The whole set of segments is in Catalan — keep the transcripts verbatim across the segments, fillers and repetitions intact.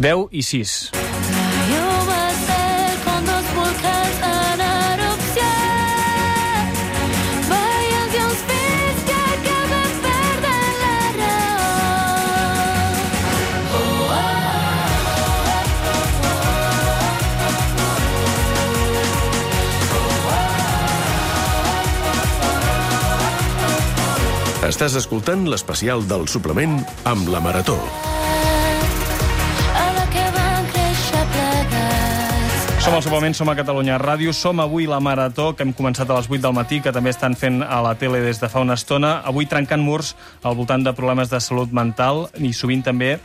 deu i sis. Estàs escoltant l'especial del suplement amb la Marató. Som al suplement, som a Catalunya Ràdio, som avui la Marató, que hem començat a les vuit del matí, que també estan fent a la tele des de fa una estona, avui trencant murs al voltant de problemes de salut mental i sovint també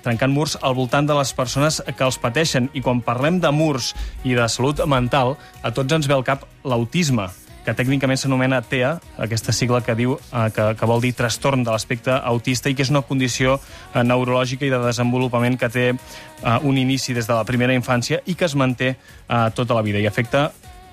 trencant murs al voltant de les persones que els pateixen. I quan parlem de murs i de salut mental, a tots ens ve al cap l'autisme, que tècnicament s'anomena T E A, aquesta sigla que diu eh, que, que vol dir trastorn de l'aspecte autista i que és una condició eh, neurològica i de desenvolupament que té eh, un inici des de la primera infància i que es manté eh, tota la vida i afecta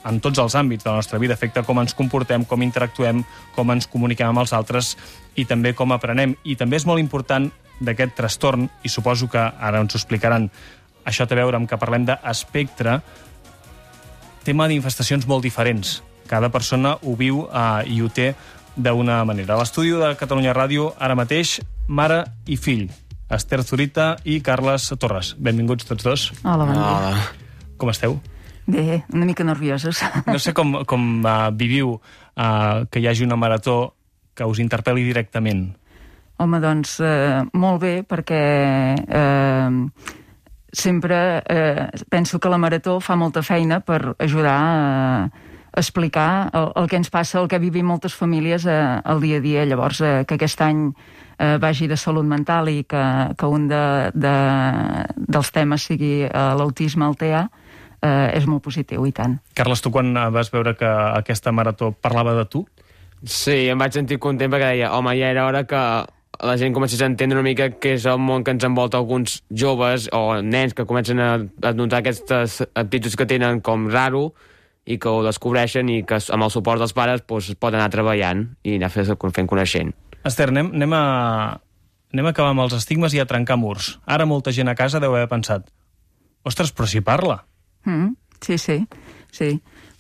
en tots els àmbits de la nostra vida, afecta com ens comportem, com interactuem, com ens comuniquem amb els altres i també com aprenem. I també és molt important d'aquest trastorn, i suposo que ara ens ho explicaran, això té a veure amb que parlem d'espectre, té manifestacions molt diferents. Cada persona ho viu eh, i ho té d'una manera. A l'estudi de Catalunya Ràdio, ara mateix, mare i fill, Esther Zurita i Carles Torres. Benvinguts tots dos. Hola, bon dia. Hola. Com esteu? Bé, una mica nerviosos. No sé com, com uh, viviu uh, que hi hagi una marató que us interpel·li directament. Home, doncs, eh, molt bé, perquè eh, sempre eh, penso que la marató fa molta feina per ajudar a eh, explicar el, el que ens passa, el que vivim moltes famílies eh, al dia a dia. Llavors, eh, que aquest any eh, vagi de salut mental i que, que un de, de, dels temes sigui eh, l'autisme, el T E A, eh, és molt positiu, i tant. Carles, tu quan vas veure que aquesta marató parlava de tu? Sí, em vaig sentir content perquè deia, home, ja era hora que la gent comencés a entendre una mica què és el món que ens envolta alguns joves o nens que comencen a, a notar aquestes actituds que tenen com raro i que ho descobreixen i que amb el suport dels pares doncs, poden anar treballant i anar fent coneixent. Esther, anem, anem, a, anem a acabar amb els estigmes i a trencar murs. Ara molta gent a casa deu haver pensat, ostres, però si parla. Mm, sí, sí, sí.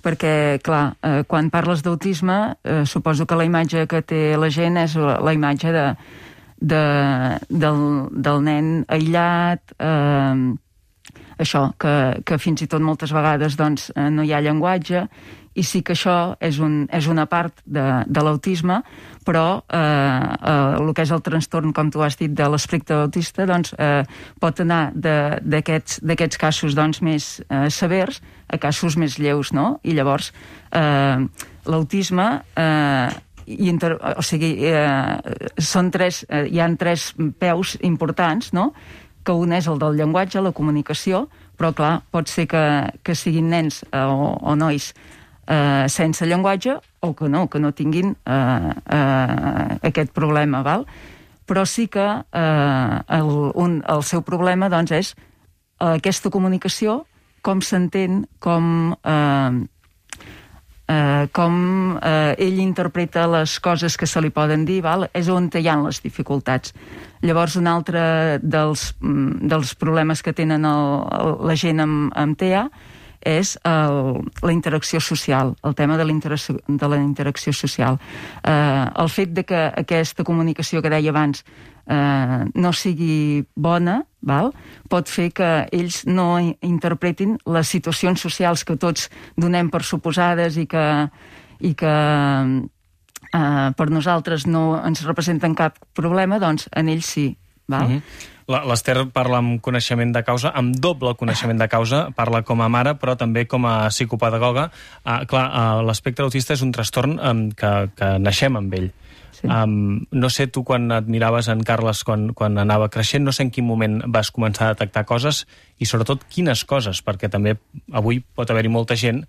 Perquè, clar, eh, quan parles d'autisme, eh, suposo que la imatge que té la gent és la, la imatge de, de, del, del nen aïllat, eh, això, que, que fins i tot moltes vegades doncs, no hi ha llenguatge, i sí que això és, un, és una part de, de l'autisme, però eh, eh, el que és el trastorn, com tu has dit, de l'espectre autista, doncs, eh, pot anar d'aquests casos doncs, més eh, severs a casos més lleus, no? I llavors eh, l'autisme eh, inter... o sigui, eh, són tres, eh, hi ha tres peus importants, no?, que un és el del llenguatge, la comunicació, però clar, pot ser que, que siguin nens eh, o, o nois eh, sense llenguatge o que no, que no tinguin eh, eh, aquest problema, val? Però sí que eh, el, un, el seu problema doncs, és eh, aquesta comunicació, com s'entén, com... Eh, Uh, com uh, ell interpreta les coses que se li poden dir, val? És on hi ha les dificultats. Llavors, un altre dels, dels problemes que tenen el, el, la gent amb, amb T E A és el, la interacció social, el tema de la interacció, de la interacció social. Uh, el fet de que aquesta comunicació que deia abans uh, no sigui bona, val? Pot fer que ells no interpretin les situacions socials que tots donem per suposades i que, i que uh, per nosaltres no ens representen cap problema, doncs en ells sí. Val? Mm-hmm. L'Esther parla amb coneixement de causa, amb doble coneixement de causa, parla com a mare, però també com a psicopedagoga. Uh, clar, uh, l'espectre autista és un trastorn um, que, que naixem amb ell. Sí. Um, no sé, tu quan et miraves en Carles quan, quan anava creixent, no sé en quin moment vas començar a detectar coses i sobretot quines coses, perquè també avui pot haver-hi molta gent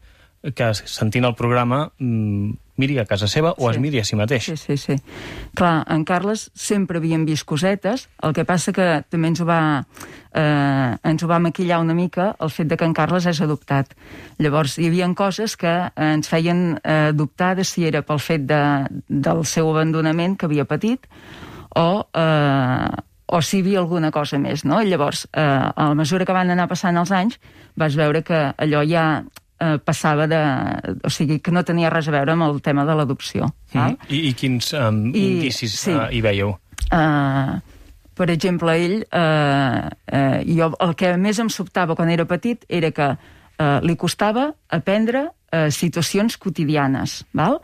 que sentint el programa mmm, miri a casa seva o sí. Es miri a si mateix. Sí, sí, sí. Clar, en Carles sempre havíem vist cosetes, el que passa que també ens ho va, eh, ens ho va maquillar una mica el fet de que en Carles és adoptat. Llavors, hi havia coses que ens feien eh, dubtar de si era pel fet de, del seu abandonament que havia patit o, eh, o si hi havia alguna cosa més, no? Llavors, eh, a la mesura que van anar passant els anys, vas veure que allò ja eh, passava de... O sigui, que no tenia res a veure amb el tema de l'adopció. Mm. I, I quins um, I, indicis sí. uh, hi veieu? Uh, per exemple, ell... Uh, uh, jo, el que més em sobtava quan era petit era que uh, li costava aprendre uh, situacions quotidianes, val?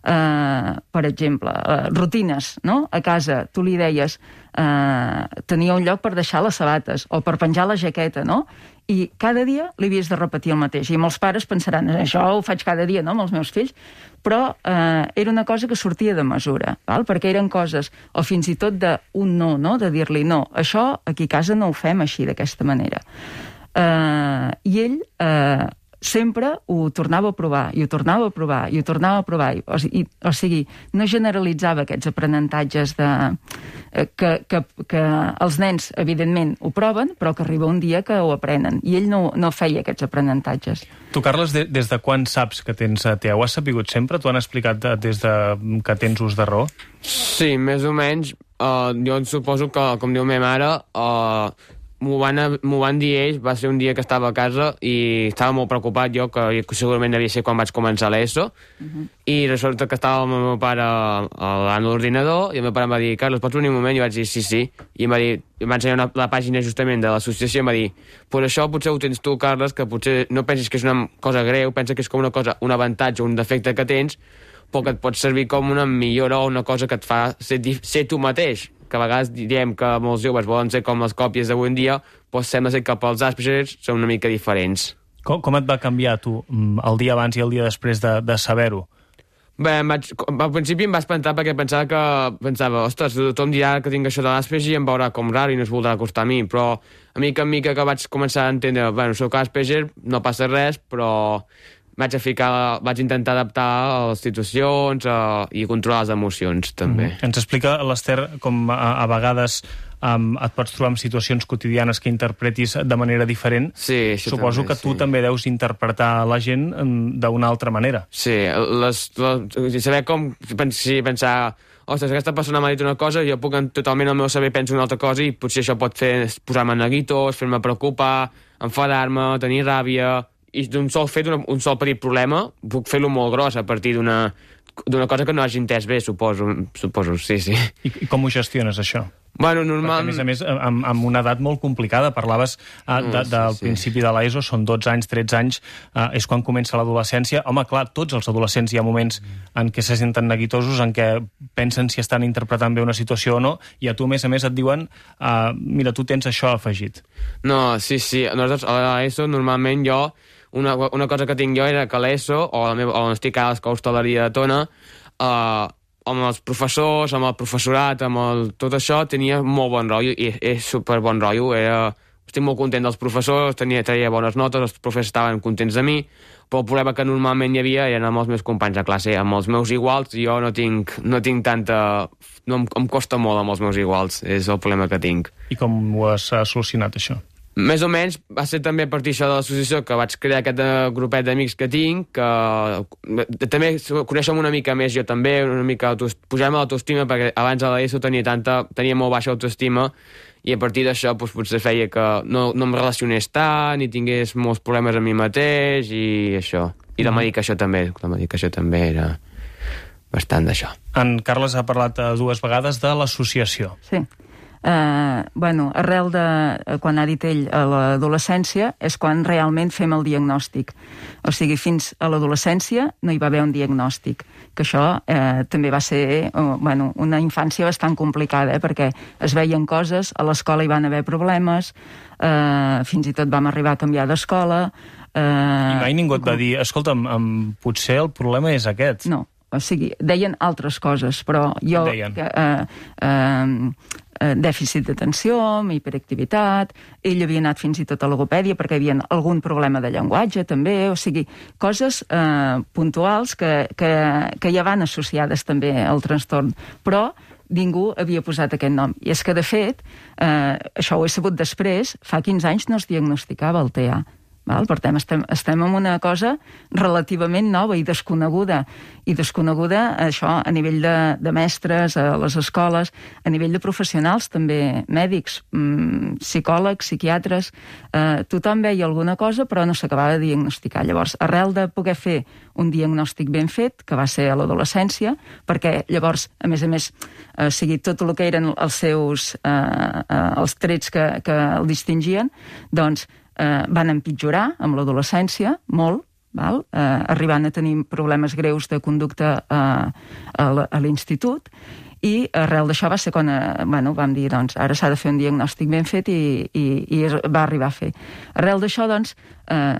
Uh, per exemple, uh, rutines, no? A casa, tu li deies uh, tenia un lloc per deixar les sabates o per penjar la jaqueta, no? I cada dia li havies de repetir el mateix. I molts pares pensaran, això ho faig cada dia, no?, amb els meus fills, però uh, era una cosa que sortia de mesura, val? Perquè eren coses, o fins i tot d'un no, no?, de dir-li no, això aquí a casa no ho fem així, d'aquesta manera. Uh, I ell... Uh, sempre ho tornava a provar, i ho tornava a provar, i ho tornava a provar. O sigui, o sigui no generalitzava aquests aprenentatges de, que, que, que els nens, evidentment, ho proven, però que arriba un dia que ho aprenen. I ell no, no feia aquests aprenentatges. Tu, Carles, de, des de quan saps que tens T E A? Ho has sapigut sempre? T'ho han explicat des de que tens ús de raó? Sí, més o menys. Uh, jo suposo que, com diu ma mare... Uh, M'ho van, van dir ells, va ser un dia que estava a casa i estava molt preocupat jo, que segurament devia ser quan vaig començar l'ESO, uh-huh. I resulta que estava amb el meu pare a l'ordinador i el meu pare em va dir, Carles, pots venir un moment? I vaig dir, sí, sí, i em va dir, em va ensenyar una, la pàgina justament de l'associació i em va dir, pues això potser ho tens tu, Carles, que potser no pensis que és una cosa greu, pensa que és com una cosa, un avantatge, un defecte que tens, però que et pot servir com una millora o una cosa que et fa ser, ser tu mateix, que a vegades diem que molts joves volen ser com les còpies d'avui en dia, doncs sembla ser que pels Asperger són una mica diferents. Com, com et va canviar, tu, el dia abans i el dia després de, de saber-ho? Bé, vaig, al principi em va espantar perquè pensava que... Pensava, ostres, tothom dirà que tinc això de l'Asperger i em veurà com raro i no es voldrà acostar a mi, però a mica en mica que vaig començar a entendre, bueno, soc Asperger, no passa res, però... Vaig, a ficar, vaig intentar adaptar a les situacions uh, i controlar les emocions, també. Mm. Ens explica, l'Ester, com a, a vegades um, et pots trobar en situacions quotidianes que interpretis de manera diferent. Sí, això Suposo també, que tu sí. també deus interpretar la gent um, d'una altra manera. Sí, les, les, saber com si pensar... Ostres, aquesta persona m'ha dit una cosa, jo puc totalment al meu saber penso una altra cosa i potser això pot fer posar-me neguitós, fer-me preocupar, enfadar-me, tenir ràbia... I d'un sol fet, un sol petit problema, puc fer-lo molt gros a partir d'una d'una cosa que no hagi entès bé, suposo, suposo, sí, sí. I, i com ho gestiones, això? Bueno, normal... Perquè, a més a més, amb, amb una edat molt complicada, parlaves uh, de, sí, del sí. principi de l'ESO, són dotze anys, tretze anys, uh, és quan comença l'adolescència. Home, clar, tots els adolescents hi ha moments en què se senten neguitosos, en què pensen si estan interpretant bé una situació o no, i a tu, a més a més, et diuen uh, mira, tu tens això afegit. No, sí, sí, nosaltres a l'ESO normalment jo Una, una cosa que tinc jo era que a l'ESO, o a la meva, on estic ara a l'Escola Hostaleria de Tona, eh, amb els professors, amb el professorat, amb el, tot això, tenia molt bon rotllo, i és super bon rotllo. Era, estic molt content dels professors, tenia, traia bones notes, els professors estaven contents de mi, però el problema que normalment hi havia eren amb els meus companys de classe, amb els meus iguals, jo no tinc, no tinc tanta... No, em, em costa molt amb els meus iguals, és el problema que tinc. I com ho has solucionat, això? Més o menys va ser també a partir d'això de l'associació que vaig crear aquest grupet d'amics que tinc, que també coneixem una mica més jo també, una mica pujar-me l'autoestima, perquè abans a l'ESO tenia, tanta, tenia molt baixa autoestima i a partir d'això doncs, potser feia que no, no em relacionés tant i tingués molts problemes amb mi mateix i això. I la medicació també, la medicació també era bastant d'això. En Carles ha parlat dues vegades de l'associació. Sí. Uh, bueno, arrel de, quan ha dit ell, a l'adolescència, és quan realment fem el diagnòstic. O sigui, fins a l'adolescència no hi va haver un diagnòstic. Que això eh, també va ser uh, bueno, una infància bastant complicada, eh, perquè es veien coses, a l'escola hi van haver problemes, eh, fins i tot vam arribar a canviar d'escola... Eh, I mai ningú et va dir, escolta'm, um, potser el problema és aquest. No, o sigui, deien altres coses, però jo... Deien. Eh, eh, dèficit d'atenció, hiperactivitat, ell havia anat fins i tot a logopèdia perquè hi havia algun problema de llenguatge també, o sigui, coses eh, puntuals que, que, que ja van associades també al trastorn, però ningú havia posat aquest nom. I és que, de fet, eh, això ho he sabut després, fa quinze anys no es diagnosticava el T E A. Val? Per tant, estem, estem en una cosa relativament nova i desconeguda. I desconeguda, això, a nivell de, de mestres, a les escoles, a nivell de professionals, també mèdics, mmm, psicòlegs, psiquiatres... Eh, tothom veia alguna cosa, però no s'acabava de diagnosticar. Llavors, arrel de poder fer un diagnòstic ben fet, que va ser a l'adolescència, perquè llavors, a més a més, eh, sigui tot el que eren els seus eh, eh, els trets que, que el distingien, doncs eh, van empitjorar amb l'adolescència, molt, val? Eh, arribant a tenir problemes greus de conducta eh, a l'institut, i arrel d'això va ser quan eh, bueno, vam dir, doncs, ara s'ha de fer un diagnòstic ben fet i, i, i va arribar a fer. Arrel d'això, doncs, eh,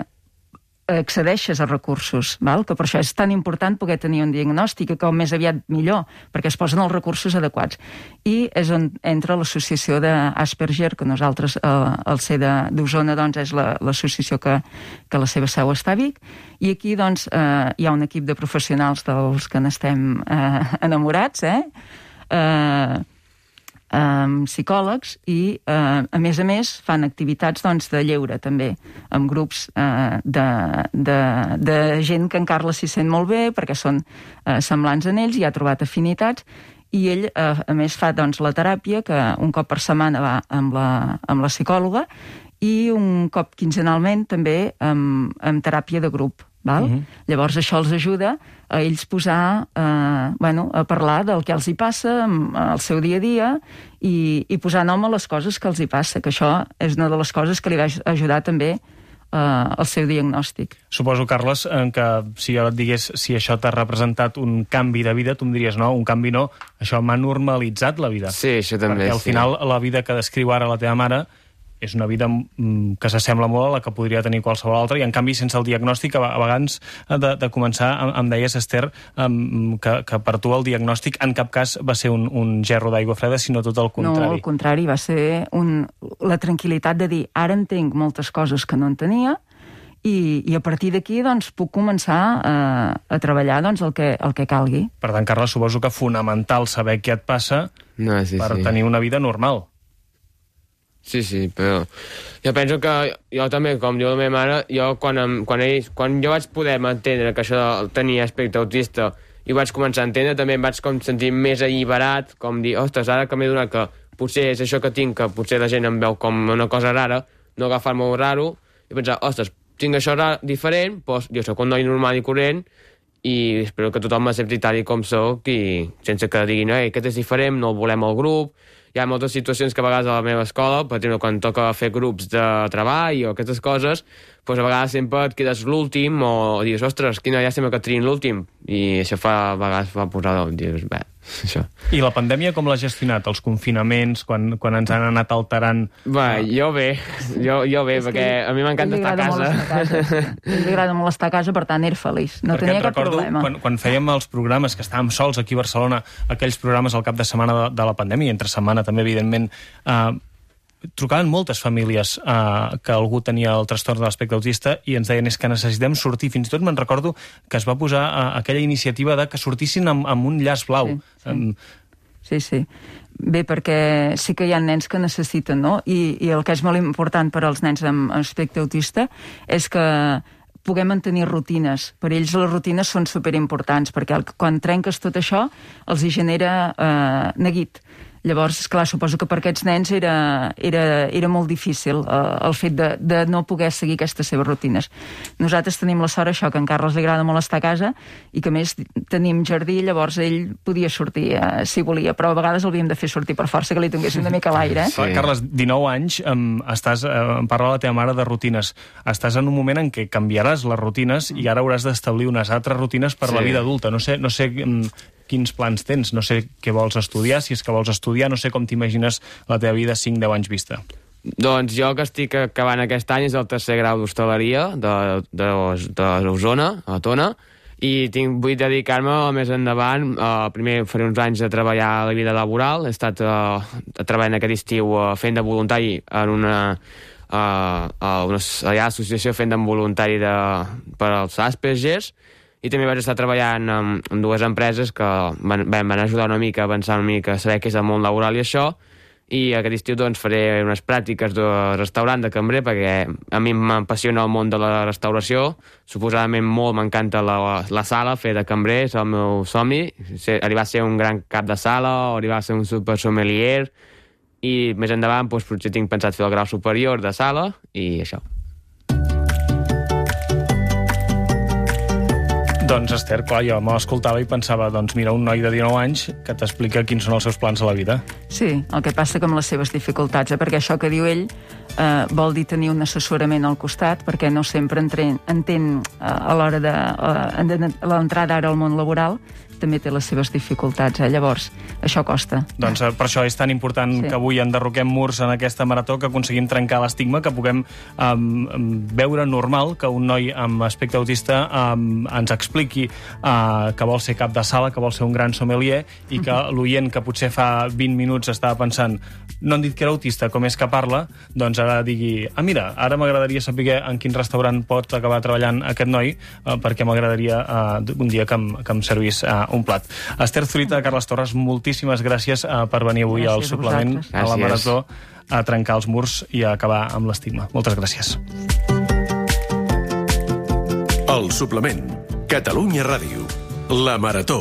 accedeixes a recursos, val? Que per això és tan important poder tenir un diagnòstic, que com més aviat millor, perquè es posen els recursos adequats. I és on entra l'associació d'Asperger, que nosaltres, eh, al ser d'Osona, doncs, és l'associació que, que la seva seu està a Vic, i aquí, doncs, eh, hi ha un equip de professionals dels que n'estem eh, enamorats, eh? Eh... amb psicòlegs i, eh, a més a més, fan activitats doncs, de lleure, també, amb grups eh, de, de, de gent que en Carles s'hi sent molt bé, perquè són eh, semblants en ells i ha trobat afinitats, i ell, eh, a més, fa doncs, la teràpia, que un cop per setmana va amb la, amb la psicòloga, i un cop quinzenalment també amb, amb teràpia de grup. Val? Uh-huh. Llavors això els ajuda a ells posar, eh, bueno, a parlar del que els hi passa al seu dia a dia i, i posar nom a les coses que els hi passa, que això és una de les coses que li va ajudar també eh, al seu diagnòstic. Suposo, Carles, que si jo et digués si això t'ha representat un canvi de vida, tu em diries no, un canvi no, això m'ha normalitzat la vida. Sí, això també. Perquè al sí. final la vida que descriu ara la teva mare és una vida que s'assembla molt a la que podria tenir qualsevol altra, i en canvi sense el diagnòstic, a vegades de, de començar, em deies, Esther, que, que per tu el diagnòstic en cap cas va ser un, un gerro d'aigua freda, sinó tot el contrari. No, al contrari, va ser un, la tranquil·litat de dir, ara entenc moltes coses que no en tenia, i, i a partir d'aquí doncs, puc començar a, a treballar doncs, el, que, el que calgui. Per tant, Carles, suposo que fonamental saber què et passa no, sí, per sí. tenir una vida normal. Sí, sí, però jo penso que jo també, com diu la meva mare, jo quan, em, quan, ell, quan jo vaig poder entendre que això tenia aspecte autista i vaig començar a entendre, també em vaig com sentir més alliberat, com dir, ostres, ara que m'he donat que potser és això que tinc, que potser la gent em veu com una cosa rara, no agafar-me raro, i pensar, ostres, tinc això rar, diferent, doncs jo sóc un noi normal i corrent, i espero que tothom m'accepti tal i com soc, i sense que diguin, ei, aquest és diferent, no el volem al grup. Hi ha moltes situacions que a vegades a la meva escola, per exemple, quan toca fer grups de treball o aquestes coses, doncs a vegades sempre et quedes l'últim o dius, ostres, quina llàstima que triïn l'últim. I això fa, a vegades fa posar, dius, bé, això. I la pandèmia com l'ha gestionat? Els confinaments, quan, quan ens han anat alterant? Bé, jo bé, jo, jo bé, és perquè a mi m'encanta estar a casa. casa. Li agrada molt estar a casa, per tant, era feliç. No perquè tenia cap problema. Quan, quan fèiem els programes, que estàvem sols aquí a Barcelona, aquells programes al cap de setmana de, de la pandèmia, entre setmana també, evidentment, eh, trucaven moltes famílies eh, que algú tenia el trastorn de l'espectre autista i ens deien és que necessitem sortir. Fins i tot me'n recordo que es va posar eh, aquella iniciativa de que sortissin amb, amb un llaç blau. Sí, sí. Um... sí, sí. Bé, perquè sí que hi ha nens que necessiten, no? I, i el que és molt important per als nens amb aspecte autista és que puguem mantenir rutines. Per ells les rutines són superimportants, perquè el, quan trenques tot això els hi genera eh, neguit. Llavors, esclar, suposo que per aquests nens era, era, era molt difícil eh, el fet de, de no poder seguir aquestes seves rutines. Nosaltres tenim la sort, això, que a en Carles li agrada molt estar a casa i que, a més, tenim jardí, llavors ell podia sortir eh, si volia, però a vegades l'havíem de fer sortir per força, que li tinguéssim una mica l'aire. Eh? Sí. Carles, dinou anys, um, estàs, uh, em parla la teva mare de rutines. Estàs en un moment en què canviaràs les rutines i ara hauràs d'establir unes altres rutines per sí. la vida adulta. No sé, no sé um, quins plans tens, no sé què vols estudiar, si és que vols estudiar, no sé com t'imagines la teva vida cinc deu anys vista. Doncs jo que estic acabant aquest any és el tercer grau d'hostaleria d'Osona, a Tona, i tinc, vull dedicar-me més endavant. Uh, primer faré uns anys de treballar a la vida laboral, he estat uh, treballant aquest estiu uh, fent de voluntari en una, uh, uh, una allà, associació fent de voluntari de, per als Aspergers, i també vaig estar treballant amb, amb dues empreses que van, van ajudar una mica a avançar una mica, a saber què és el món laboral i això, i aquest estiu doncs, faré unes pràctiques de restaurant, de cambrer, perquè a mi m'apassiona el món de la restauració. Suposadament molt m'encanta la, la sala, fer de cambrer, és el meu somni. Ser, arribar a ser un gran cap de sala o arribar a ser un super sommelier, i més endavant doncs, potser tinc pensat fer el grau superior de sala i això. Doncs, Esther, clar, jo me l'escoltava i pensava, doncs mira, un noi de dinou anys que t'explica quins són els seus plans a la vida. Sí, el que passa que amb les seves dificultats, eh? perquè això que diu ell eh, vol dir tenir un assessorament al costat, perquè no sempre entren, entén eh, a l'hora de, eh, de l'entrada ara al món laboral, també té les seves dificultats, eh? Llavors, això costa. Doncs eh, per això és tan important sí. que avui enderroquem murs en aquesta marató, que aconseguim trencar l'estigma, que puguem eh, veure normal que un noi amb aspecte autista eh, ens expliqui eh, que vol ser cap de sala, que vol ser un gran sommelier, i que uh-huh. l'oient que potser fa vint minuts estava pensant no han dit que era autista, com és que parla, doncs ara digui, ah mira, ara m'agradaria saber en quin restaurant pot acabar treballant aquest noi, eh, perquè m'agradaria eh, un dia que em, que em servís eh, un plat. Esther Zurita, Carles Torres, moltíssimes gràcies uh, per venir avui gràcies al suplement, a, a la marató, a trencar els murs i a acabar amb l'estigma. Moltes gràcies. El suplement. Catalunya Ràdio. La marató.